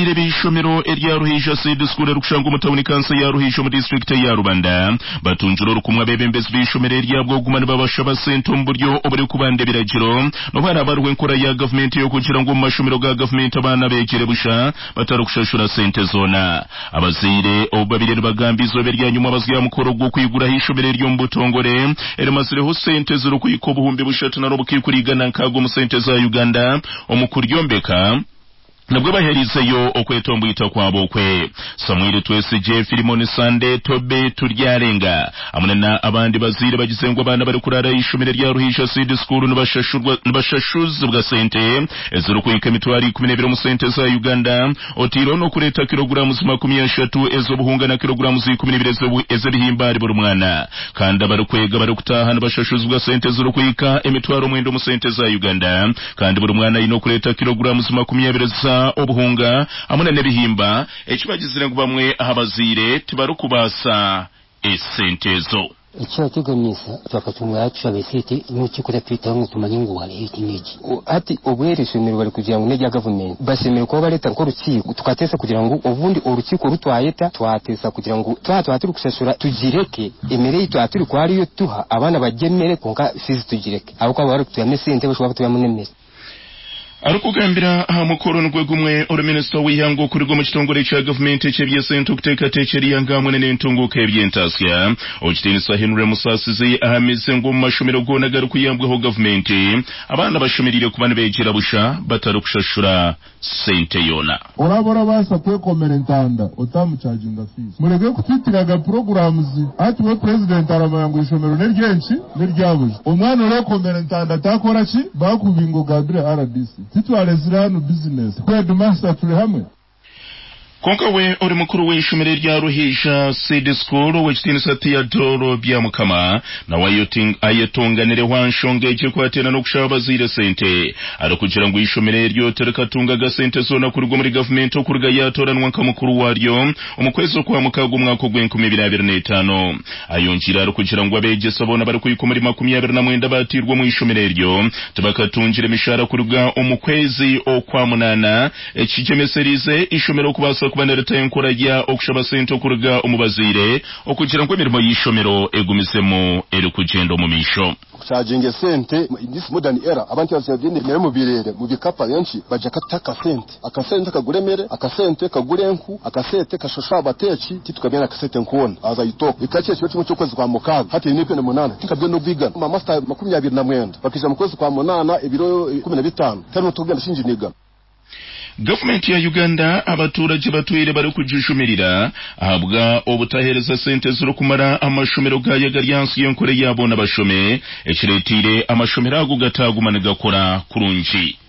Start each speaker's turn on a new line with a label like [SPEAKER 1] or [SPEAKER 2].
[SPEAKER 1] Abazaire b'eishomero erya Ruhija Seed School erikushangwa omu tauni kanso ya Ruhija omu disiturikiti eya Rubanda batungire orukumwe abeebembezi b'eishomero eri ahabw'okuguma nibabashaba sente omu buryo oburikubanda ebiragiro n'obu haraaba hariho enkora ya gavumenti ey'okugira ngu omu mashomero ga gavumenti abaana beegyere busha batarikushashura sente zoona. Abazaire obu babaire nibagamba eizooba eryanyima abazwi aha mukoro gw'okwiguraho eishomero eri omu butongore erimazireho sente ezirikuhika 3000 omu sente za Uganda omu kuryombeka nabwo baheerizeyo okwetomboita kwabo okwe. Samuel Twesigye, Philimon Sande, Toby Turyarenga hamwe na abandi bazaire bagize ngu abaana barikuraara aha ishomero erya Ruhija Seed School nibashashurwa nibashashuzibwa sente ezirikuhika 120,000 omu sente za Uganda oteireho n'okureeta kiloguramuzi 30 ez'obuhunga na kiloguramuzi 12 ez'ebihimba ahari buri mwana kandi abarikwega barikutaaha nibashashuzibwa sente ezirikuhika 90,000 omu sente za Uganda kandi buri mwana aine okureeta kiloguramuzi 20 za obuhunga hamwe na n'ebihimba eki bagizire ngu bamwe aha bazaire tibarikubaasa esente ezo.
[SPEAKER 2] Ekyateganisa twakatunga yatushaba esente n'orukiiko ratwetaho ngu tumanye ngu hariho eki n'eki. Hati obu eri ishomero bari kugira ngu n'erya gavumenti bashemereire kuba bareeta nk'orukiiko tukateesa kugira ngu obundi orukiiko oru twayeta twateesa kugira ngu twaba twaba turi kushashura tugireke emere ei twaba turi kuba ariyo tuha abaana barye emere kwonka fiizi tugireke ahabw'okuba baba bari kutwihamu esente bashobora kutwihamu n'emere.
[SPEAKER 1] Arikugambira aha mukoro nigwo gumwe, ori minisita w'eihanga okuruga omu kitongore kya gavumenti eky'eby'esente okuteekateekyera eihanga hamwe n'entunguuka y'eby'entaasya, Owekitiinisa Henry Musaasizi ahamize ngu omu mashomero goona agarikuyambwaho gavumenti, abaana bashemereire kuba nibeegyera busha batarikushashura sente yoona.
[SPEAKER 3] Oraaba orabaasa kwekomera entanda otamuchaginga fees. Mureke kutwitiraga programs. Hati we president aramanya ngu eishomero neryenki? Neryabuja. Omwana orekomera entanda takora ki? Bakubinga ogambire RDC. Titwaretsire hanu business. Headmaster turi hamwe?
[SPEAKER 1] Kwonka we ori mukuru w'eishomero erya Ruhija Seed School, Owekitiinisa Theodore Byamukama nawe ayetonganireho aha nshonga egi ekwatiraine n'okushaba abazaire sente arikugira ngu eishomero eryo tirikatungaga sente zoona kuruga omuri gavumenti okuruga yaatooranwa nka mukuru waaryo omu kwezi okwa mukaaga omwaka ogw'enkumi ibiri abiri n'etaano. Ayongiire arikugira ngu abeegyesa boona abarikuhika omuri 29 abaatairwe omu ishomero eryo tibakatungire mishaara kuruga omu kwezi okwa munaana Ekigyemesereize eishomero okubaasa kuba niritaho enkora ya okushaba sente okuruga omu bazaire okugira ngu emirimo y'eishomero egumizemu erikugyenda omu maisho.
[SPEAKER 4] Okucharginga esente in this modern era abantu baziha emere omu bireere mu bikapa benki bagya katuha akasente. Akasente kagura emere, akasente kagura enku, akasete kashasha abateeki titukabwine akasente nkoona as I talk. Ekika ky'ekiro kimwe ky'okwezi kwa mukaaga hati eine ebiro munaana tinkabwine n'obwigana. Ba master 29 bakaija mu kwezi kwa munaana ebiro 15 tihariho n'otukugenda shingi nigana.
[SPEAKER 1] Gavumenti ya Uganda abaturagye batwire barikugijumirira ahabwa obutaheereza sente zirikumara amashomero gaayo agari ahansi y'enkora eya boona bashome ekireeteire amashomero ago gataaguma nigakora kurungi.